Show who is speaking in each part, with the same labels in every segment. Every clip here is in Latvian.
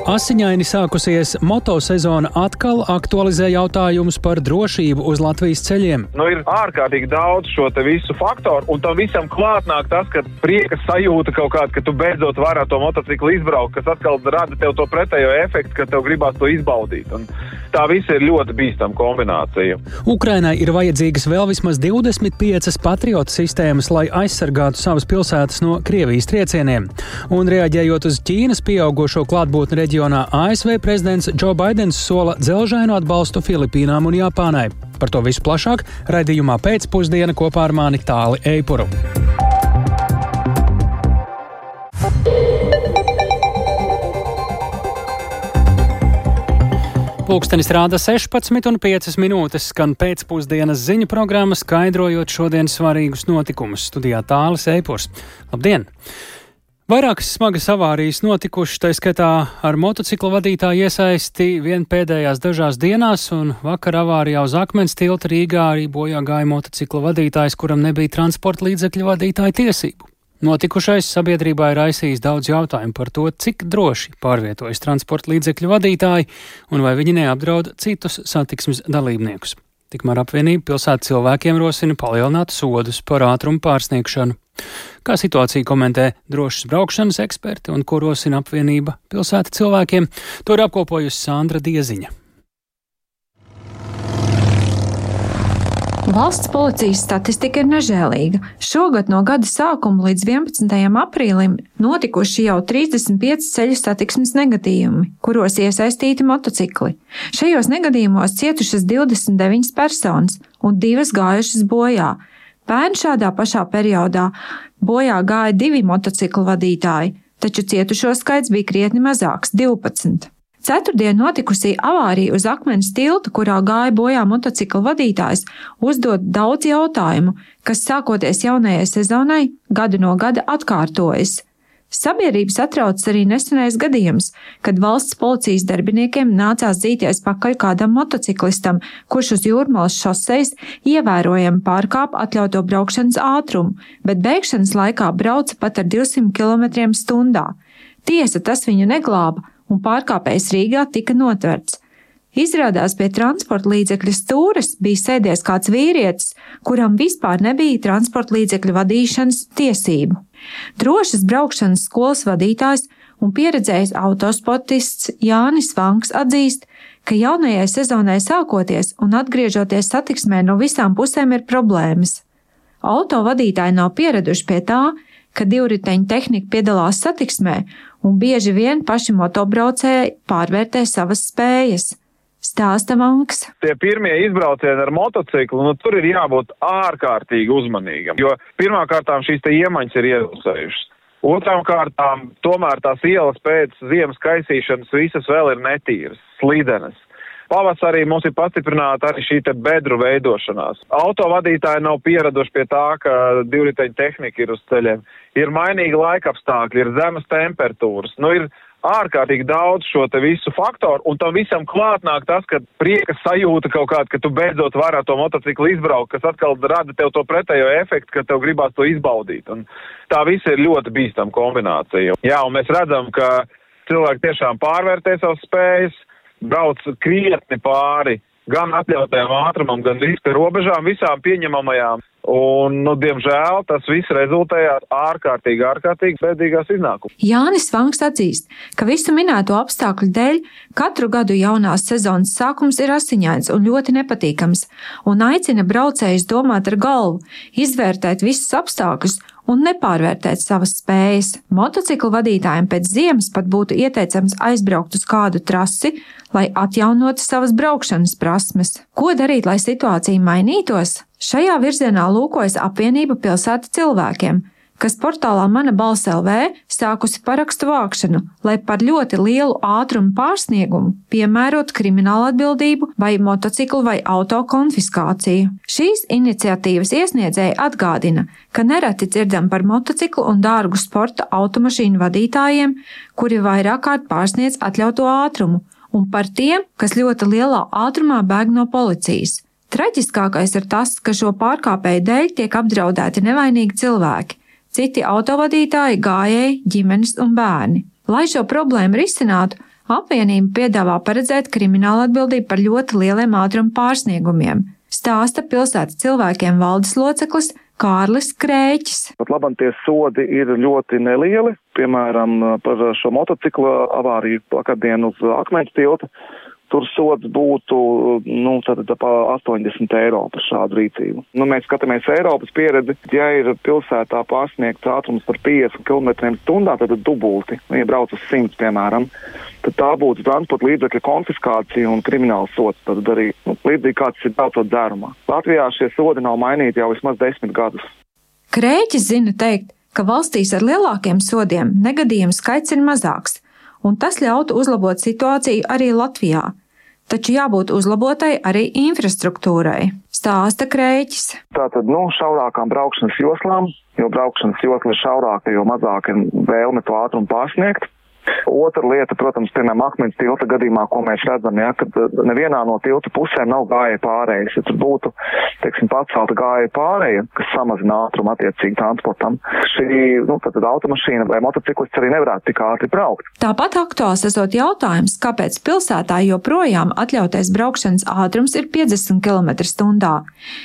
Speaker 1: Asiņaini sākusies motosezona atkal aktualizē jautājumus par drošību uz Latvijas ceļiem.
Speaker 2: Ir ārkārtīgi daudz šo te visu faktoru, un tam visam klāt nāk tas, ka prieka sajūta kaut kāda, ka tu beidzot vari ar to motociklu izbraukt, kas atkal rada tev to pretējo efektu, ka tev gribās to izbaudīt. Un tā visa ir ļoti bīstama kombinācija.
Speaker 1: Ukrainai ir vajadzīgas vēl vismaz 25 patriotu sistēmas, lai aizsargātu savas pilsētas no Krievijas triecieniem. Un reaģējot uz Ķīnas pieaugušo klātbūtni reģionā, ASV prezidents Joe Baidens sola dzelžainu atbalstu Filipīnām un Japānai. Par to visu plašāk raidījumā Pēcpusdiena kopā ar mani Tāli Eipuru. Pulkstenis rāda 16,5 minūtes, skan pēcpusdienas ziņu programma, skaidrojot šodienas svarīgus notikumus. Studijā Tālis Eipurs. Labdien! Vairākas smagas avārijas notikušas, tā skaitā ar motociklu vadītāju iesaisti vien pēdējās dažās dienās, un vakar avārijā uz Akmens tilta Rīgā arī bojā gāja motociklu vadītājs, kuram nebija transporta līdzekļu vadītāja tiesību. Notikušais sabiedrībā ir raisījis daudz jautājumu par to, cik droši pārvietojas transporta līdzekļu vadītāji un vai viņi neapdraud citus satiksmes dalībniekus. Tikmēr apvienība pilsētas cilvēkiem rosina palielināt sodus par ātrumu pārsniegšanu. Kā situāciju komentē drošas braukšanas eksperti un ko rosina apvienība pilsēta cilvēkiem, to ir apkopojusi Sandra Dieziņa.
Speaker 3: Valsts policijas statistika ir nežēlīga. Šogad no gada sākuma līdz 11. aprīlim notikuši jau 35 ceļu satiksmes negadījumi, kuros iesaistīti motocikli. Šajos negadījumos cietušas 29 personas un 2 gājušas bojā. Pērn šādā pašā periodā bojā gāja 2 motociklu vadītāji, taču cietušo skaits bija krietni mazāks – 12. Ceturtdien notikusī avārija uz Akmens tilta, kurā gāja bojā motociklu vadītājs, uzdod daudz jautājumu, kas sākoties jaunajai sezonai gadu no gada atkārtojas. Sabiedrība satrauc arī nesenais gadījums, kad valsts policijas darbiniekiem nācās dzīties pakaļ kādam motociklistam, kurš uz Jūrmalas šosejas ievērojami pārkāpa atļauto braukšanas ātrumu, bet beigšanas laikā brauca pat ar 200 km/h. Tiesa, tas viņu neglāba, un pārkāpējs Rīgā tika notverts. Izrādās pie transporta līdzekļa stūres bija sēdies kāds vīrietis, kuram vispār nebija transporta līdzekļu vadīšanas tiesību. Drošas braukšanas skolas vadītājs un pieredzējis autosportists Jānis Vanks atzīst, ka jaunajai sezonai sākoties un atgriežoties satiksmē no visām pusēm ir problēmas. Auto vadītāji nav pieraduši pie tā, ka divriteņu tehnika piedalās satiksmē, un bieži vien paši motobraucēji pārvērtē savas spējas. Stāsta Vanks.
Speaker 2: Tie pirmie izbraucieni ar motociklu, tur ir jābūt ārkārtīgi uzmanīgam, jo pirmkārtām šīs te iemaņas ir iedusējušas. Otrām kārtām, tomēr tās ielas pēc ziemas kaisīšanas visas vēl ir netīras, slidenas. Pavasarī mums ir pastiprināta arī šī te bedru veidošanās. Autovadītāji nav pieraduši pie tā, ka divriteņu tehnika ir uz ceļiem. Ir mainīgi laikapstākļi, ir zemes temperatūras. Ir ārkārtīgi daudz šo te visu faktoru, un tam visam klāt nāk tas, ka prieka sajūta kaut kāda, ka tu beidzot vari ar to motociklu izbraukt, kas atkal rada tev to pretējo efektu, ka tev gribās to izbaudīt. Un tā visa ir ļoti bīstama kombinācija. Jā, un mēs redzam, ka cilvēki tiešām pārvērtē savas spējas, brauc krietni pāri gan atļautajām ātrumam, gan riska robežām, visām pieņemamajām. Un, diemžēl, tas viss rezultējās ārkārtīgi bēdīgās iznākumā.
Speaker 3: Jānis Vanks atzīst, ka visu minēto apstākļu dēļ katru gadu jaunās sezonas sākums ir asiņains un ļoti nepatīkams, un aicina braucējus domāt ar galvu, izvērtēt visus apstākļus un nepārvērtēt savas spējas. Motociklu vadītājiem pēc ziemas pat būtu ieteicams aizbraukt uz kādu trasi, lai atjaunotu savas braukšanas prasmes. Ko darīt, lai situācija mainītos? Šajā virzienā lūkojas apvienība pilsēta cilvēkiem, kas portālā Mana balss LV sākusi parakstu vākšanu, lai par ļoti lielu ātrumu pārsniegumu piemērotu kriminālu atbildību vai motociklu vai auto konfiskāciju. Šīs iniciatīvas iesniedzēji atgādina, ka nereti dzirdam par motociklu un dārgu sporta automašīnu vadītājiem, kuri vairāk kārt pārsniedz atļauto ātrumu, un par tiem, kas ļoti lielā ātrumā bēg no policijas. Traģiskākais ir tas, ka šo pārkāpēju dēļ tiek apdraudēti nevainīgi cilvēki, citi autovadītāji, gājēji, ģimenes un bērni. Lai šo problēmu risinātu, Apvienība piedāvā paredzēt kriminālu atbildību par ļoti lieliem ātruma pārsniegumiem, stāsta pilsētas cilvēkiem valdes loceklis Kārlis Krēķis.
Speaker 4: Pat labam tie sodi ir ļoti nelieli, piemēram, par šo motociklu avāriju vakardien uz Akmeņu tilta. Tur sods būtu, tātad pa 80 eiro par šādu rīcību. Mēs skatāmies Eiropas pieredzi, ja ir pilsētā pārsniegts ātrums par 50 km/h, tad dubulti, ja brauc uz 100, piemēram, tad tā būtu transporta līdzekļa konfiskācija un krimināls sods, tad arī līdzīgi kāds ir braucot dzērumā. Latvijā šie sodi nav mainīti jau vismaz 10 gadus.
Speaker 3: Krēķis zina teikt, ka valstīs ar lielākiem sodiem negadījumu skaits ir mazāks, un tas ļautu uzlabot situāciju arī Latvijā. Taču jābūt uzlabotai arī infrastruktūrai, stāsta Krēķis.
Speaker 4: Tātad, šaurākām braukšanas joslām, jo braukšanas josla ir šaurāka, jo mazāk ir vēlme to ātrumu pārsniegt. Otra lieta, protams, piemēram, Akmeņu tilta gadījumā, ko mēs redzam, kad nevienā no tilta pusēm nav gājēju pārējas. Ja tur būtu, pacelta gājēju pārēja, kas samazina ātrumu attiecīgi transportam, šī, tad automašīna vai motociklists arī nevarētu tik ātri braukt.
Speaker 3: Tāpat aktuāls esot jautājums, kāpēc pilsētā joprojām atļautais braukšanas ātrums ir 50 km/h,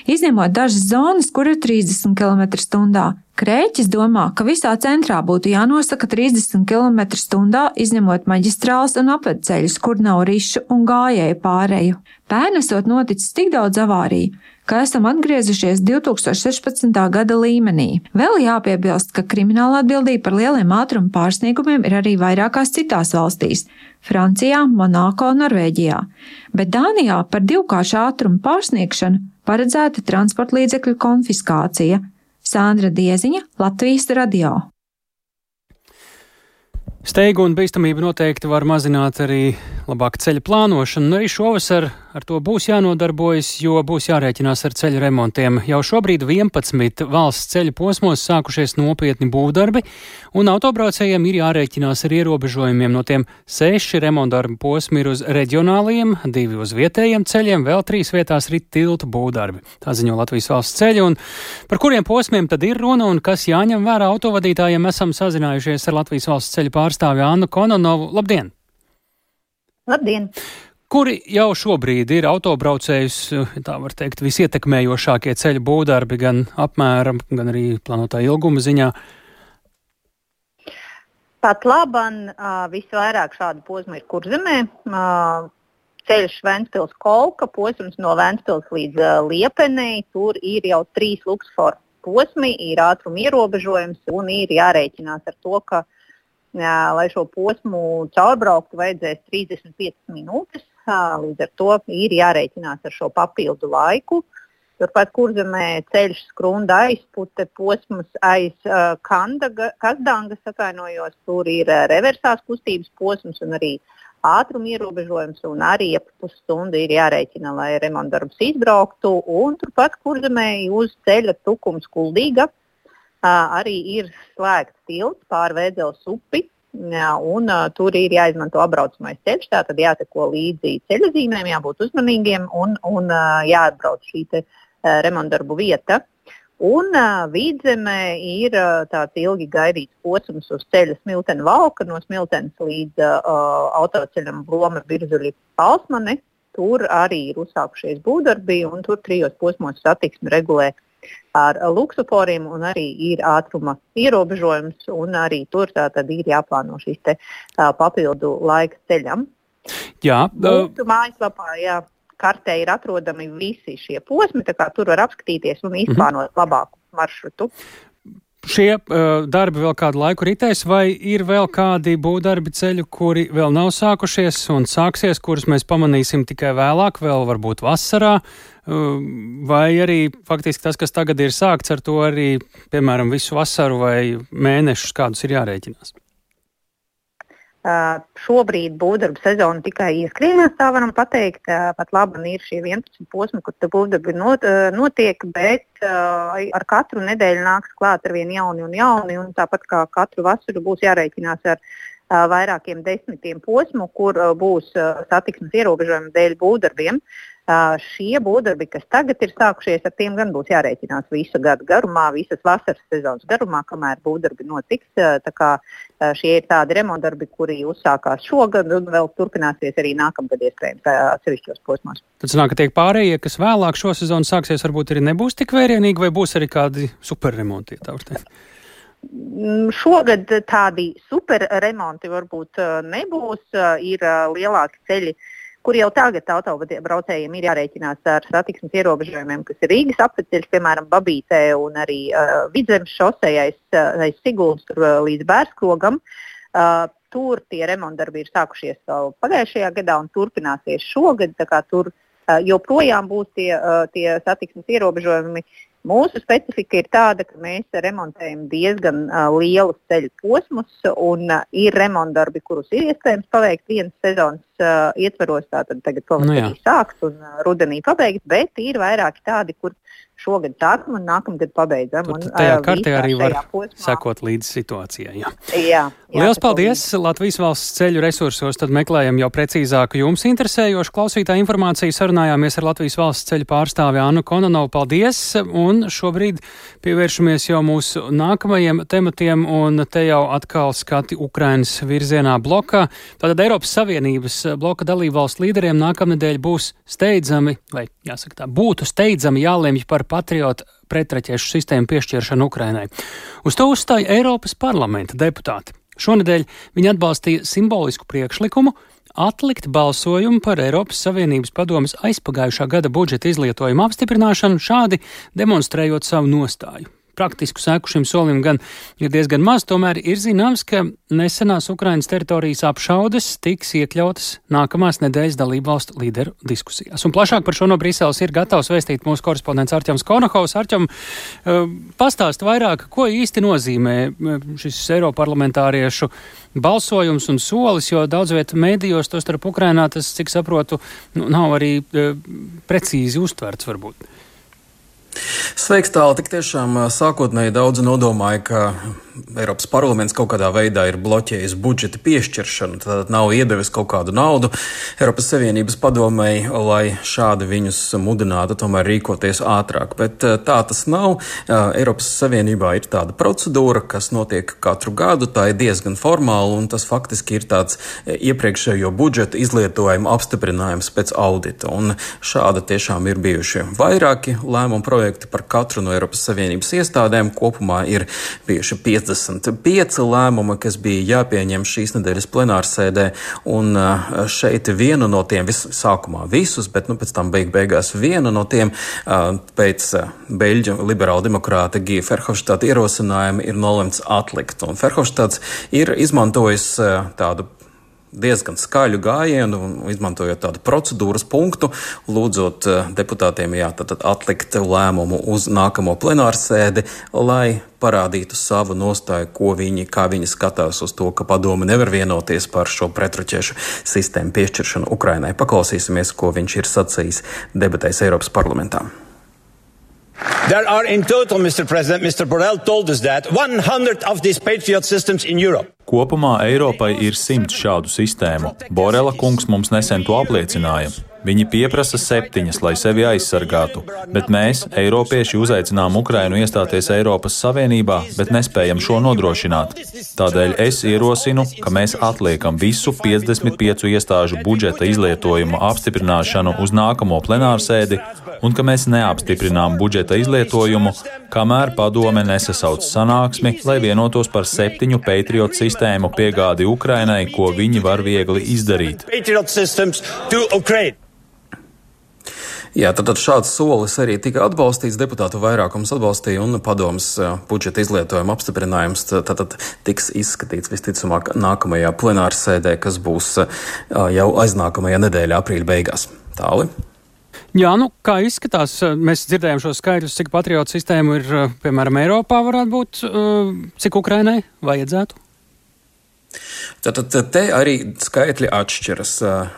Speaker 3: izņemot dažas zonas, kur ir 30 km/h. Krēķis domā, ka visā centrā būtu jānosaka 30 km/h, izņemot maģistrāles un apvedceļus, kur nav rišu un gājēju pāreju. Pērn esot noticis tik daudz avāriju, ka esam atgriezušies 2016. gada līmenī. Vēl jāpiebilst, ka krimināla atbildība par lieliem ātruma pārsniegumiem ir arī vairākās citās valstīs – Francijā, Monako un Norvēģijā. Bet Dānijā par divkāršu ātruma pārsniegšanu paredzēta transporta līdzekļu konfiskācija. Sandra Dieziņa, Latvijas radio.
Speaker 1: Steigu un bīstamību noteikti var mazināt arī labāka ceļa plānošana, un arī šovasar ar to būs jānodarbojas, jo būs jārēķinās ar ceļu remontiem. Jau šobrīd 11 valsts ceļu posmos sākušies nopietni būvdarbi, un autobraucējiem ir jārēķinās ar ierobežojumiem. No tiem 6 remontdarbu posmi ir uz reģionāliem, 2 uz vietējiem ceļiem, vēl 3 vietās rit tiltu būvdarbi. Tā ziņo Latvijas valsts ceļi, un par kuriem posmiem tad ir runa un kas jāņem vērā autovadītājiem, esam sazinājušies ar Latvijas valsts ceļu pārstāvi Annu Kononovu. Labdien!
Speaker 5: Labdien!
Speaker 1: Kuri jau šobrīd ir autobraucējus, tā var teikt, visietekmējošākie ceļu būvdarbi gan apmēra, gan arī plānotā ilguma ziņā?
Speaker 5: Pat laban visvairāk šādu posmu ir Kurzemē. Ceļš Ventspils-Kolka, posms no Ventspils līdz Liepenei. Tur ir jau 3 luksusforu posmi, ir ātruma ierobežojums un ir jārēķinās ar to, ka, lai šo posmu caurbrauktu, vajadzēs 35 minūtes. Līdz ar to ir jārēķinās ar šo papildu laiku. Turpat Kurzemē ceļš Skrunda aizpute posms aiz Kazdangas, tur ir reversās kustības posms un arī ātruma ierobežojums, un arī ap pusstundu ir jārēķina, lai remontdarbus izbrauktu. Un turpat Kurzemē uz ceļa Tukums Kuldīga arī ir slēgts tilts pār Vēdzeles upi. Un tur ir jāizmanto apbraucamais ceļš, tātad jāseko līdzi ceļazīmēm, jābūt uzmanīgiem un jāatbrauc šī te remontdarbu vieta. Un Vidzemē ir tāds ilgi gaidīts posms uz ceļa Smiltene-Valka, no Smiltenes līdz autoceļam Blome-Birzuļi-Palsmane. Tur arī ir uzsākušies būvdarbi, un tur 3 posmos satiksmi regulē ar luksusforiem, un arī ir ātruma ierobežojums, un arī tur tātad ir jāplāno šīs te papildu laika ceļam.
Speaker 1: Jā.
Speaker 5: Mūsu mājaslapā, kartē ir atrodami visi šie posmi, tā kā tur var apskatīties un izplānot labāku maršrutu.
Speaker 1: Šie darbi vēl kādu laiku ritēs, vai ir vēl kādi būvdarbi ceļu, kuri vēl nav sākušies un sāksies, kurus mēs pamanīsim tikai vēlāk, vēl varbūt vasarā, vai arī faktiski tas, kas tagad ir sākts, ar to arī, piemēram, visu vasaru vai mēnešus kādus ir jārēķinās?
Speaker 5: Šobrīd būvdarbu sezona tikai ieskrienās, tā varam pateikt. Pat labi ir šie 11 posmi, kur būvdarbi notiek, bet ar katru nedēļu nāks klāt ar vien jauni, un tāpat kā katru vasaru būs jārēķinās ar vairākiem 10 posmu, kur būs satiksmes ierobežojumi dēļ būvdarbiem. Šie būvdarbi, kas tagad ir sākušies, ar tiem gan būs jārēķinās visu gadu garumā, visas vasaras sezonas garumā, kamēr būvdarbi notiks. Tā kā šie ir tādi remontdarbi, kuri uzsākās šogad un vēl turpināsies arī nākamgad iespējams atsevišķos posmos.
Speaker 1: Tad sanāk, ka tiek pārējie, kas vēlāk šo sezonu sāksies, varbūt arī nebūs tik vērienīgi, vai būs arī kādi superremonti, tā var teikt?
Speaker 5: Šogad tādi superremonti varbūt nebūs, ir lielāki ceļi, kur jau tagad autobraucējiem ir jārēķinās ar satiksmes ierobežojumiem, kas ir Rīgas apveceļš, piemēram, Babītē un arī Vidzemes šosei aiz Siguldas līdz Bērskrogam. Tur tie remontdarbi ir sākušies vēl pagājušajā gadā un turpināsies šogad, tā kā tur joprojām būs tie satiksmes ierobežojumi. Mūsu specifika ir tāda, ka mēs remontējam diezgan lielus ceļu posmus un ir remontdarbi, kurus ir iespējams paveikt vienas sezonas ietveros, tātad tagad pavasarī sāks un rudenī pabeigt, bet ir vairāki tādi, kur šogad sākam un nākamgad pabeidzam.
Speaker 1: Un tajā kartē arī var sekot līdz situācijai. Jā. Liels paldies! Latvijas valsts ceļu resursos tad meklējam jau precīzāku jums interesējošu klausītāju informāciju. Sarunājāmies ar Latvijas valsts ceļu pārstāvi Annu Konanovu. Paldies! Un šobrīd pievēršamies jau mūsu nākamajiem tematiem un te jau atkal skati Ukrainas virzienā blokā. Tātad Eiropas Savienības bloka dalībvalstu līderiem nākamnedēļ būs steidzami, vai jāsaka tā, būtu steidzami jālemj par patriotu pretraķešu sistēmu piešķiršanu Ukrainai. Uz to uzstāja Eiropas parlamenta deputāti. Šonedēļ viņi atbalstīja simbolisku priekšlikumu atlikt balsojumu par Eiropas Savienības padomes aizpagājušā gada budžeta izlietojumu apstiprināšanu, šādi demonstrējot savu nostāju. Praktisku seku šim solim gan ir diezgan maz, tomēr ir zināms, ka nesenās Ukrainas teritorijas apšaudes tiks iekļautas nākamās nedēļas dalībvalstu līderu diskusijās. Un plašāk par šo no Briseles ir gatavs vēstīt mūsu korespondents Arķems Konohovs. Arķem, pastāst vairāk, ko īsti nozīmē šis eiroparlamentāriešu balsojums un solis, jo daudz viet mēdījos, to starp Ukrainā, tas, cik saprotu, nav arī precīzi uztverts varbūt.
Speaker 6: Sveiks, tāli, tik tiešām sākotnēji daudzi nodomāja, ka Eiropas parlaments kaut kādā veidā ir bloķējis budžeta piešķiršanu, tad nav iedevis kaut kādu naudu Eiropas Savienības padomei, lai šādi viņus mudinātu tomēr rīkoties ātrāk. Bet tā tas nav. Eiropas Savienībā ir tāda procedūra, kas notiek katru gadu, tā ir diezgan formāla, un tas faktiski ir tāds iepriekšējo budžeta izlietojuma apstiprinājums pēc audita. Un šāda tiešām ir bijuši vairāki lēmumu projekti par katru no Eiropas Savienības iestādēm. Kopumā ir bijuši 55 lēmumi, kas bija jāpieņem šīs nedēļas plenārsēdē, un šeit vienu no tiem, sākumā visus, bet pēc tam beigās vienu no tiem pēc beļģu liberāla demokrāta Gija Ferhofštāta ierosinājuma ir nolemts atlikt. Un Ferhofštāts ir izmantojis tādu diezgan skaļu gājienu, izmantojot tādu procedūras punktu, lūdzot deputātiem tātad atlikt lēmumu uz nākamo plenārsēdi, lai parādītu savu nostāju, kā viņi skatās uz to, ka padome nevar vienoties par šo pretruķešu sistēmu piešķiršanu Ukrainai. Paklausīsimies, ko viņš ir sacījis debatēs Eiropas parlamentā.
Speaker 7: There are in total, Mr. President, Mr. Borrell told us that 100 of these Patriot systems in Europe.
Speaker 8: Kopumā Eiropai ir 100 šādu sistēmu. Borela kungs mums nesen to apliecināja. Viņi pieprasa 7, lai sevi aizsargātu, bet mēs, eiropieši, uzaicinām Ukrainu iestāties Eiropas Savienībā, bet nespējam šo nodrošināt. Tādēļ es ierosinu, ka mēs atliekam visu 55 iestāžu budžeta izlietojumu apstiprināšanu uz nākamo plenārsēdi un ka mēs neapstiprinām budžeta izlietojumu, kamēr padome nesasauc sanāksmi, lai vienotos par 7 Patriot sistēmu piegādi Ukrainai, ko viņi var viegli izdarīt.
Speaker 6: Jā, tad šāds solis arī tika atbalstīts, deputātu vairākums atbalstīja un padomas budžeta izlietojuma apstiprinājums tad tiks izskatīts visticamāk nākamajā plenārsēdē, kas būs jau aiznākamajā nedēļā aprīļa beigās. Tāli?
Speaker 1: Jā, kā izskatās, mēs dzirdējām šos skaidrus, cik patriotu sistēmu ir, piemēram, Eiropā varētu būt, cik Ukrainai vajadzētu?
Speaker 6: Tad te arī skaitļi atšķiras.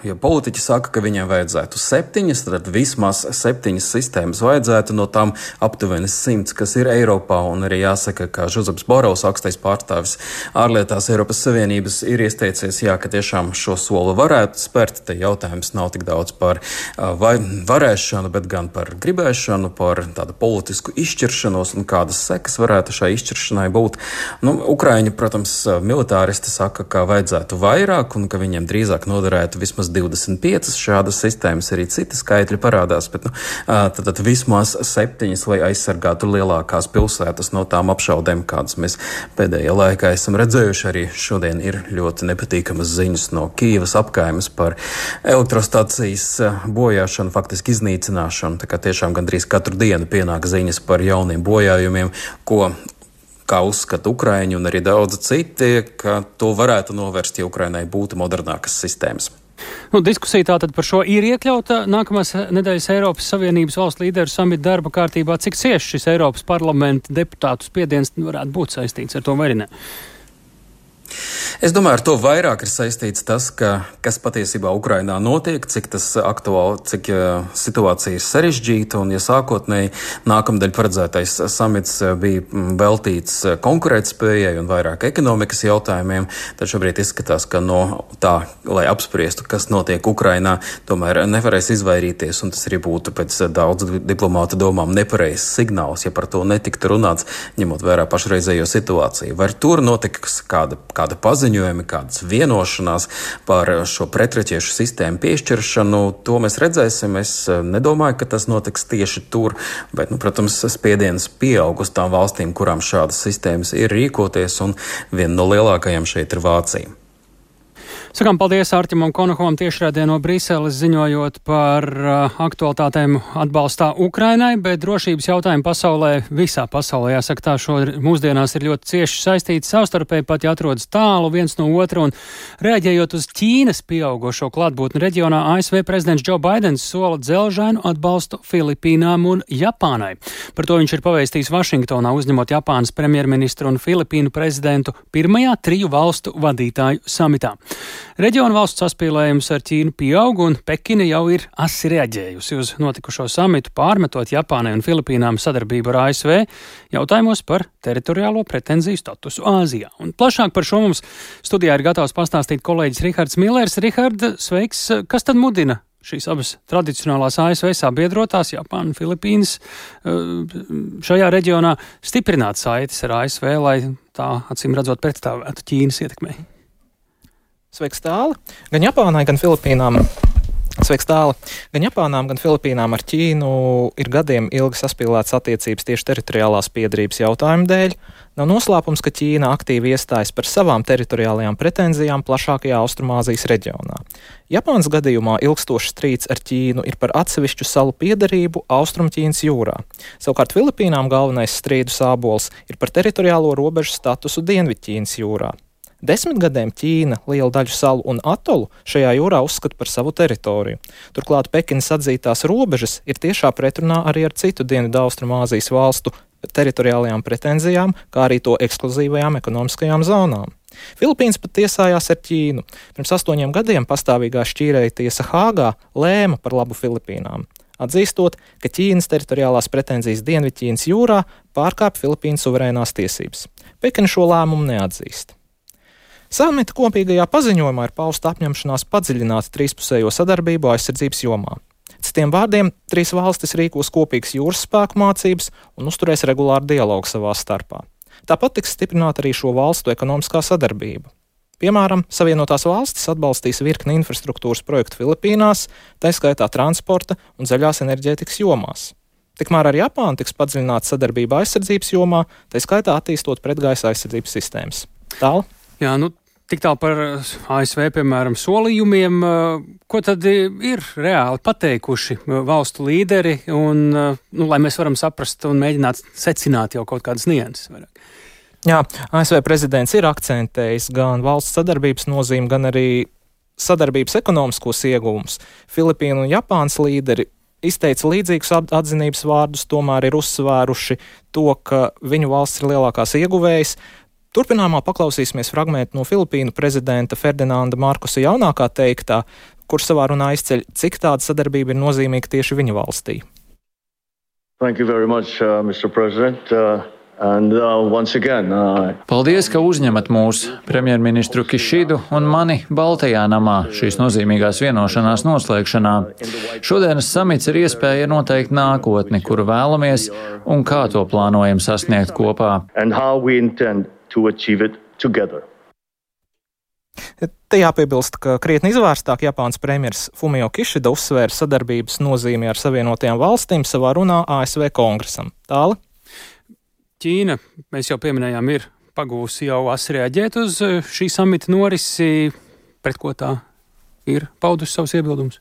Speaker 6: Ja politiķi saka, ka viņiem vajadzētu 7, tad vismaz 7 sistēmas vajadzētu, no tām aptuveni 100, kas ir Eiropā, un arī jāsaka, ka Žuzeps Borels, augstais pārstāvis ārlietās Eiropas Savienības, ir iesteicies, ka tiešām šo soli varētu spērt. Te jautājums nav tik daudz par varēšanu, bet gan par gribēšanu, par tādu politisku izšķiršanos un kādas sekas varētu šai izšķiršanai būt. Ukraiņi, protams, militāristi saka, ka vajadzētu vairāk un ka viņiem drīzāk noderētu vismaz 25 šādas sistēmas, arī citi skaitļi parādās, bet tad vismaz 7, lai aizsargātu lielākās pilsētas no tām apšaudēm, kādas mēs pēdējā laikā esam redzējuši. Arī šodien ir ļoti nepatīkamas ziņas no Kīivas apkaimes par elektrostacijas bojāšanu, faktiski iznīcināšanu, tā kā tiešām gandrīz katru dienu pienāk ziņas par jauniem bojājumiem, kā uzskata Ukraiņi un arī daudzi citi, ka to varētu novērst, ja Ukrainai būtu modernākas sistēmas.
Speaker 1: Diskusija tātad par šo ir iekļauta nākamās nedēļas Eiropas Savienības valstu līderu samita darba kārtībā. Cik cieši šis Eiropas parlamenta deputātu spiediens varētu būt saistīts ar to vai ne?
Speaker 6: Es domāju, ar to vairāk ir saistīts tas, kas patiesībā Ukrainā notiek, cik tas aktuāli, cik situācija ir sarežģīta, un ja sākotnēji nākamdēļ paredzētais samits bija veltīts konkurētspējai un vairāk ekonomikas jautājumiem, tad šobrīd izskatās, ka no tā, lai apspriestu, kas notiek Ukrainā, tomēr nevarēs izvairīties, un tas arī būtu pēc daudz diplomātu domām nepareizs signāls, ja par to netiktu runāts, ņemot vērā pašreizējo situāciju. Vai tur notiks kāda paziņojumi, kādas vienošanās par šo pretraķiešu sistēmu piešķiršanu, to mēs redzēsim. Es nedomāju, ka tas notiks tieši tur, bet, protams, spiediens pieaug uz tām valstīm, kurām šādas sistēmas ir rīkoties, un viena no lielākajām šeit ir Vācija.
Speaker 1: Sakām paldies Artimam Konokovam tiešraidē no Briseles ziņojot par aktualitātēm atbalstā Ukrainai, bet drošības jautājumi pasaulē, visā pasaulē, jāsaka tā, šo mūsdienās ir ļoti cieši saistīti savstarpēji, pat ja atrodas tālu viens no otra, un reaģējot uz Ķīnas pieaugošo klātbūtni reģionā, ASV prezidents Joe Baidens sola dzelžainu atbalstu Filipīnām un Japānai. Par to viņš ir pavēstījis Vašingtonā, uzņemot Japānas premjerministru un Filipīnu prezidentu pirmajā 3 valstu vadītāju samitā. Reģionu valstu saspīlējums ar Ķīnu pieaug, un Pekina jau ir asi reaģējusi uz notikušo samitu, pārmetot Japānai un Filipīnām sadarbību ar ASV jautājumos par teritoriālo pretenziju statusu Āzijā. Un plašāk par šo mums studijā ir gatavs pastāstīt kolēģis Rihards Millers. Rihard, sveiks! Kas tad mudina šīs abas tradicionālās ASV sabiedrotās, Japāna un Filipīnas, šajā reģionā stiprināt saites ar ASV, lai tā, acīm redzot, pretstāvētu Ķīnas ietekmei?
Speaker 9: Sveiks tāli! Gan Japānai, gan Filipīnām. Sveiks tāli! Gan Japānām, gan Filipīnām ar Ķīnu ir gadiem ilgi saspīlētas attiecības tieši teritoriālās piederības jautājumu dēļ. Nav noslēpums, ka Ķīna aktīvi iestājas par savām teritoriālajām pretenzijām plašākajā Austrumāzijas reģionā. Japānas gadījumā ilgstošs strīds ar Ķīnu ir par atsevišķu salu piederību Austrumķīnas jūrā. Savukārt Filipīnām galvenais strīdu sābols ir par teritoriālo robežu statusu Dienvidķīnas jūrā. 10 gadiem Ķīna lielu daļu salu un atolu šajā jūrā uzskata par savu teritoriju. Turklāt Pekinas atzītās robežas ir tiešā pretrunā arī ar citu Dienvidaustrumāzijas valstu teritoriālajām pretenzijām, kā arī to ekskluzīvajām ekonomiskajām zonām. Filipīnas pat tiesājās ar Ķīnu. Pirms 8 gadiem pastāvīgā šķīrēja tiesa Hāgā lēma par labu Filipīnām, atzīstot, ka Ķīnas teritoriālās pretenzijas Dienvidķīnas jūrā pārkāpj Filipīnu suverēnās tiesības. Pekina šo lēmumu neatzīst. Samita kopīgajā paziņojumā ir pausta apņemšanās padziļināt trīspusējo sadarbību aizsardzības jomā. Citiem vārdiem, 3 valstis rīkos kopīgas jūras spēku mācības un uzturēs regulāru dialogu savā starpā. Tāpat tiks stiprināta arī šo valstu ekonomiskā sadarbība. Piemēram, Savienotās valstis atbalstīs virkni infrastruktūras projektu Filipīnās, tā skaitā transporta un zaļās enerģētikas jomās. Tikmēr ar Japānu tiks padziļināta sadarbība aizsardzības jomā, tā skaitā attīstot pretgaisa aizsardzības sistēmas. Tālu?
Speaker 1: Jā, tik tālu par ASV, piemēram, solījumiem. Ko tad ir reāli pateikuši valstu līderi, un, lai mēs varam saprast un mēģināt secināt jau kaut kādas nianses vairāk?
Speaker 9: Jā, ASV prezidents ir akcentējis gan valsts sadarbības nozīmi, gan arī sadarbības ekonomiskos ieguvumus. Filipīnu un Japānas līderi izteica līdzīgus atzinības vārdus, tomēr ir uzsvēruši to, ka viņu valsts ir lielākās ieguvējas. Turpinājumā paklausīsimies fragmentu no Filipīnu prezidenta Ferdinanda Markosa jaunākā teiktā, kurš savā runā izceļ, cik tāda sadarbība ir nozīmīga tieši viņa valstī.
Speaker 10: Thank you very much, Mr. President. Once again,
Speaker 11: Paldies, ka uzņemat mūs, premjerministru Kišidu un mani Baltajā namā šīs nozīmīgās vienošanās noslēgšanā. Šodienas samits ir iespēja noteikt nākotni, kuru vēlamies un kā to plānojam sasniegt kopā.
Speaker 9: Te jāpiebilst, ka krietni izvērstāk Japānas premjers Fumio Kishida uzsvēra sadarbības nozīmi ar Savienotajām valstīm savā runā ASV kongresam. Tāli?
Speaker 1: Ķīna, mēs jau pieminējām, ir pagūsi jau asi reaģēt uz šī samita norisi, pret ko tā ir paudusi savus iebildumus.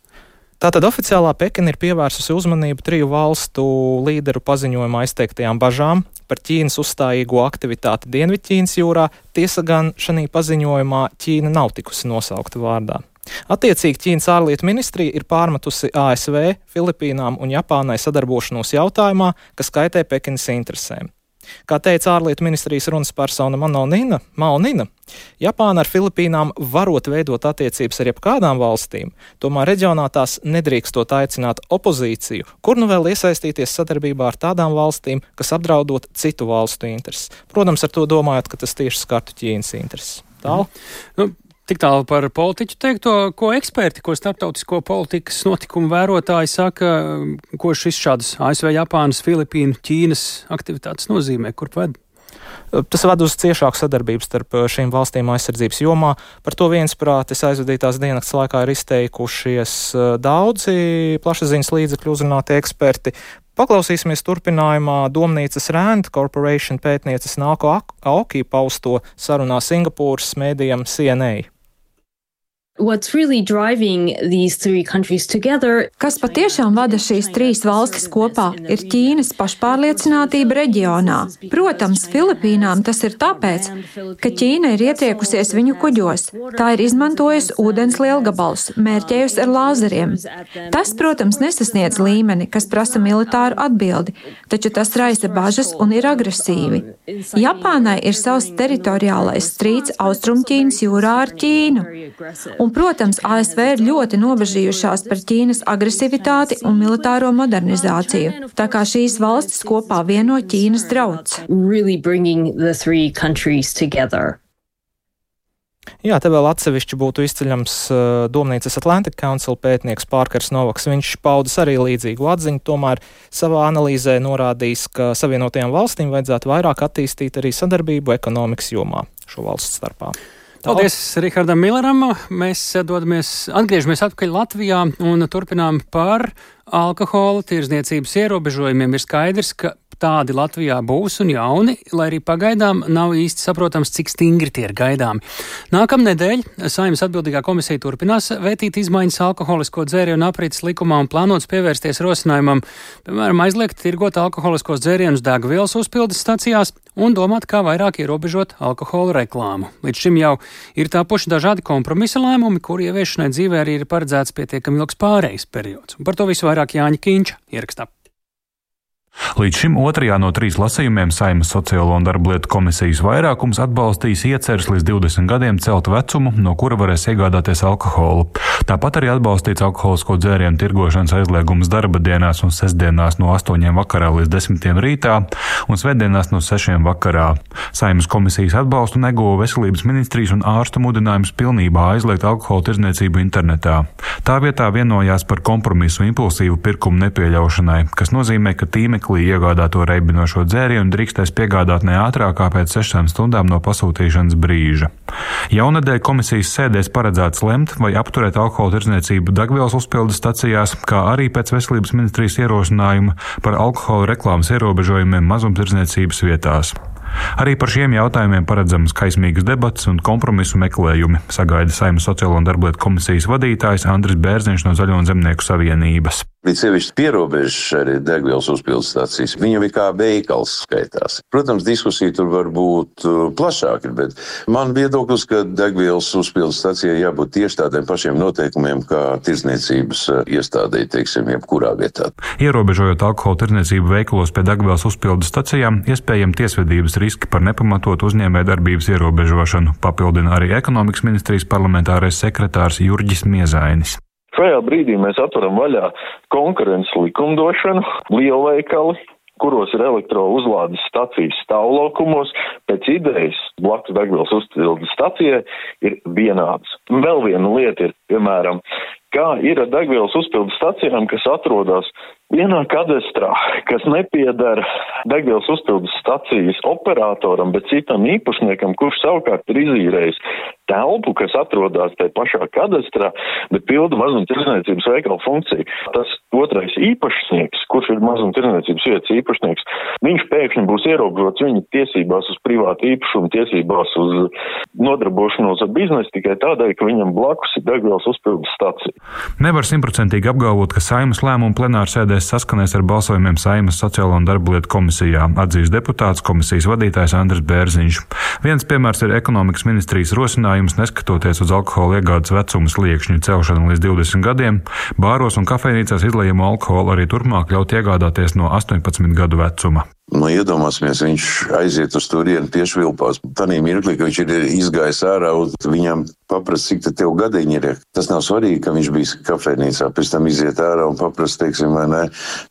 Speaker 9: Tātad oficiālā Pekina ir pievērsusi uzmanību 3 valstu līderu paziņojumā izteiktajām bažām par Ķīnas uzstājīgo aktivitāti Dienvidķīnas jūrā. Tiesa gan šajā paziņojumā Ķīna nav tikusi nosaukta vārdā. Attiecīgi Ķīnas ārlietu ministrija ir pārmetusi ASV, Filipīnām un Japānai sadarbošanos jautājumā, kas kaitē Pekinas interesēm. Kā teica ārlietu ministrijas runas persona Mao Nina, Japāna ar Filipīnām varot veidot attiecības ar jebkādām valstīm, tomēr reģionā tās nedrīkstot aicināt opozīciju, kur nu vēl iesaistīties sadarbībā ar tādām valstīm, kas apdraudot citu valstu intereses. Protams, ar to domājot, ka tas tieši skartu Ķīnas intereses. Tālu?
Speaker 1: Tik tālu par politiķu teikto, ko eksperti, ko starptautisko politikas notikumu vērotāji saka, ko šis šādas ASV, Japānas, Filipīnu, Ķīnas aktivitātes nozīmē, kur ved?
Speaker 9: Tas ved uz ciešāku sadarbību starp šīm valstīm aizsardzības jomā. Par to viensprātis aizvadītās diennakts laikā ir izteikušies daudzi plašsaziņas līdzekļu uzrunātie eksperti. Paklausīsimies turpinājumā Domnīcas Rand Corporation pētnieces Nāko Aoki pausto sarunā Singapūras mēdījam CNA.
Speaker 3: Kas patiešām vada šīs 3 valstis kopā, ir Ķīnas pašpārliecinātība reģionā. Protams, Filipīnām tas ir tāpēc, ka Ķīna ir ietriekusies viņu kuģos. Tā ir izmantojusi ūdens lielgabalus, mērķējusi ar lāzeriem. Tas, protams, nesasniedz līmeni, kas prasa militāru atbildi, taču tas raisa bažas un ir agresīvi. Japānai ir savs teritoriālais strīds Austrumķīnas jūrā ar Ķīnu. Un, protams, ASV ir ļoti nobežījušās par Ķīnas agresivitāti un militāro modernizāciju, tā kā šīs valstis kopā vieno Ķīnas drauds.
Speaker 9: Jā, te vēl atsevišķi būtu izceļams Domnīcas Atlantic Council pētnieks Pārkars Novaks. Viņš paudas arī līdzīgu atziņu, tomēr savā analīzē norādījis, ka Savienotajām valstīm vajadzētu vairāk attīstīt arī sadarbību ekonomikas jomā šo valstu starpā.
Speaker 1: Paldies Rihardam Milleram. Mēs atgriežamies atpakaļ Latvijā un turpinām par alkohola tirdzniecības ierobežojumiem. Ir skaidrs, ka tādi Latvijā būs un jauni, lai arī pagaidām nav īsti saprotams, cik stingri tie ir gaidāmi. Nākamnedēļ Saeimas atbildīgā komisija turpinās vētīt izmaiņas alkoholisko dzērienu aprītes likumā un plānots pievērsties rosinājumam, piemēram, aizliegt tirgot alkoholiskos dzērienus degvielas uzpildes stacijās un domāt, kā vairāk ierobežot alkohola reklāmu. Līdz šim jau ir tapuši dažādi kompromisa lēmumi, kur ieviešanai dzīvē arī ir paredzēts pietiekami ilgs pārejas periods. Un par to visu vairāk Jāņa Kīņša ierakstā.
Speaker 12: Līdz šim 2. no 3 lasījumiem Saeimas Sociālo un darblietu komisijas vairākums atbalstīs ieceres līdz 20 gadiem celt vecumu, no kura varēs iegādāties alkoholu. Tāpat arī atbalstīts alkoholisko dzērienu tirgošanas aizliegums darba dienās un sestdienās no 8 vakarā līdz 10 rītā un svētdienās no 6 vakarā. Saeimas komisijas atbalstu neguva veselības ministrijas un ārstu mudinājums pilnībā aizliegt alkohola tirdzniecību internetā. Tā vietā vienojās par kompromisu impulsīvu pirkumu nepieļaušanai, kas nozīmē, ka tīmeklī iegādāto reibinošo dzērienu drīkstēs piegādāt ne ātrāk kā pēc 6 stundām no pasūtīšanas brīža. Jaunedēļ komisijas sēdēs paredzēts lemt vai apturēt alkohola tirdzniecību degvielas uzpildes stacijās, kā arī pēc veselības ministrijas ierosinājuma par alkohola reklāmas ierobežojumiem mazumtirdzniecības vietās. Arī par šiem jautājumiem paredzamas kaismīgas debates un kompromisu meklējumi, sagaida Saeimas Sociālo un darblietu komisijas vadītājs Andris Bērziņš no Zaļo un Zemnieku savienības.
Speaker 13: Līdz sevišķi pierobežas arī degvielas uzpildes stācijas. Viņa bija kā veikals skaitās. Protams, diskusija tur var būt plašāka, bet man viedoklis, ka degvielas uzpildes stācijai jābūt tieši tādiem pašiem noteikumiem, kā tirdzniecības iestādē, teiksim, jebkurā vietā.
Speaker 12: Ierobežojot alkohola tirdzniecību veikalos pie degvielas uzpildes stacijām, iespējami tiesvedības riski par nepamatotu uzņēmējdarbības ierobežošanu, papildina arī ekonomikas ministrijas parlamentārais sekretārs Jurģis Miezainis.
Speaker 14: Šajā brīdī mēs atveram vaļā konkurences likumdošanu, lielveikali, kuros ir elektrouzlādes stacijas stāvlaukumos, pēc idejas blakus degvielas uzpildes stacijai ir vienāds. Vēl viena lieta ir, piemēram, kā ir ar degvielas uzpildes stacijām, kas atrodas vienā kadastrā, kas nepiedara degvielas uzpildes stacijas operatoram, bet citam īpašniekam, kurš savukārt ir izīrējis telpu, kas atrodas tajā pašā kadastrā, bet pilda mazumtirdzniecības veikala funkciju. Tas otrais īpašnieks, kurš ir mazumtirdzniecības vietas īpašnieks, viņš pēkšņi būs ierobežots viņa tiesībās uz privātu īpašumu, tiesībās uz nodarbošanos ar biznesu tikai tādēļ, ka viņam blakus ir degvielas uzpildes stacija.
Speaker 12: Nevar 100% apgalvot, ka Saeimas lēmumu plenārsēdēs saskanēs ar balsojumiem Saeimas sociālo un darba lietu komisijā, atzīst deputāts komisijas vadītājs Andris Bērziņš. Viens piemērs ir ekonomikas ministrijas rosinājums, neskatoties uz alkohola iegādes vecuma sliekšņu celšanu līdz 20 gadiem, bāros un kafejnīcās izlejamo alkoholu arī turpmāk ļaut iegādāties no 18 gadu vecuma.
Speaker 13: Iedomāsimies, viņš aiziet uz turieni piešvilpās. Tanī mirklī, ka viņš ir izgājis ārā un viņam paprast, cik tev gadiņi ir. Tas nav svarīgi, ka viņš bija kafejnīcā, pēc tam iziet ārā un paprast, teiksim, vai ne,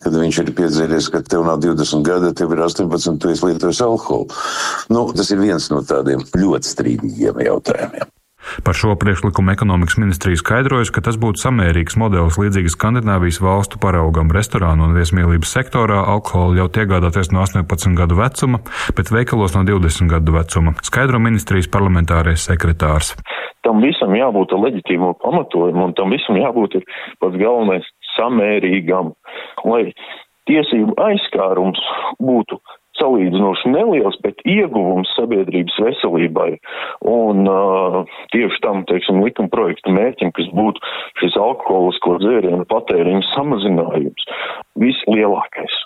Speaker 13: kad viņš ir piedzēries, ka tev nav 20 gadi, tev ir 18, tu esi lietojis alkoholu. Tas ir viens no tādiem ļoti strīdīgiem jautājumiem.
Speaker 12: Par šo priekšlikumu ekonomikas ministrija skaidrojas, ka tas būtu samērīgs modelis līdzīgas Skandināvijas valstu paraugam restorānu un viesmīlības sektorā alkoholu ļaut iegādāties no 18 gadu vecuma, bet veikalos no 20 gadu vecuma, skaidro ministrijas parlamentārais sekretārs.
Speaker 14: Tam visam jābūt leģitīmo pamatojumu un tam visam jābūt ir pats galvenais samērīgam, lai tiesību aizskārums būtu salīdzinoši neliels, bet ieguvums sabiedrības veselībai un tieši tam, teiksim, likuma projekta mērķim, kas būtu šis alkoholisko dzērienu patēriņu samazinājums, vislielākais.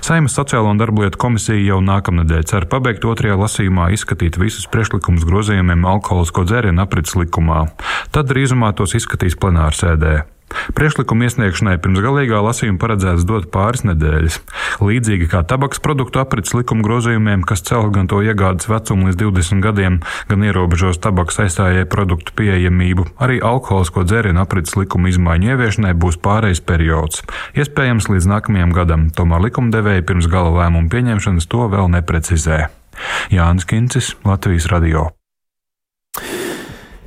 Speaker 12: Saeimas sociālo un darba lietu komisija jau nākamnedēļ cer pabeigt otrajā lasījumā izskatīt visus priekšlikumus grozījumiem alkoholisko dzērienu aprits likumā. Tad drīzumā tos izskatīs plenārsēdē. Priekšlikuma iesniegšanai pirms galīgā lasījuma paredzēts dot pāris nedēļas. Līdzīgi kā tabaks produktu aprits likuma grozījumiem, kas cel gan to iegādes vecumu līdz 20 gadiem, gan ierobežos tabaks aizstājēju produktu pieejamību, arī alkoholisko dzērienu aprits likuma izmaiņu ieviešanai būs pārejas periods. Iespējams līdz nākamajam gadam, tomēr likumdevēji pirms gala lēmumu pieņemšanas to vēl neprecizē. Jānis Kincis, Latvijas radio.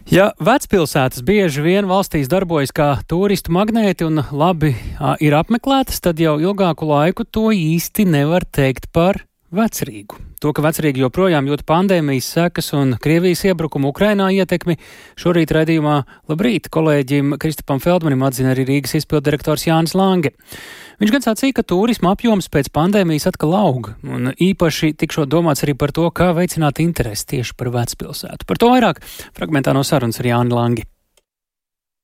Speaker 1: Ja vecpilsētas bieži vien valstīs darbojas kā turistu magnēti un labi ir apmeklētas, tad jau ilgāku laiku to īsti nevar teikt par Vecrīgu. To, ka Vecrīga joprojām jūt pandēmijas sekas un Krievijas iebrukumu Ukrainā ietekmi, šorīt raidījumā Labrīt kolēģim Kristapam Feldmanim atzina arī Rīgas izpilddirektors Jānis Lange. Viņš gan sacīja, ka turisma apjoms pēc pandēmijas atkal aug, un īpaši tikšot domāts arī par to, kā veicināt interesi tieši par vecpilsētu. Par to vairāk fragmentā no sarunas ar Jāni Langi.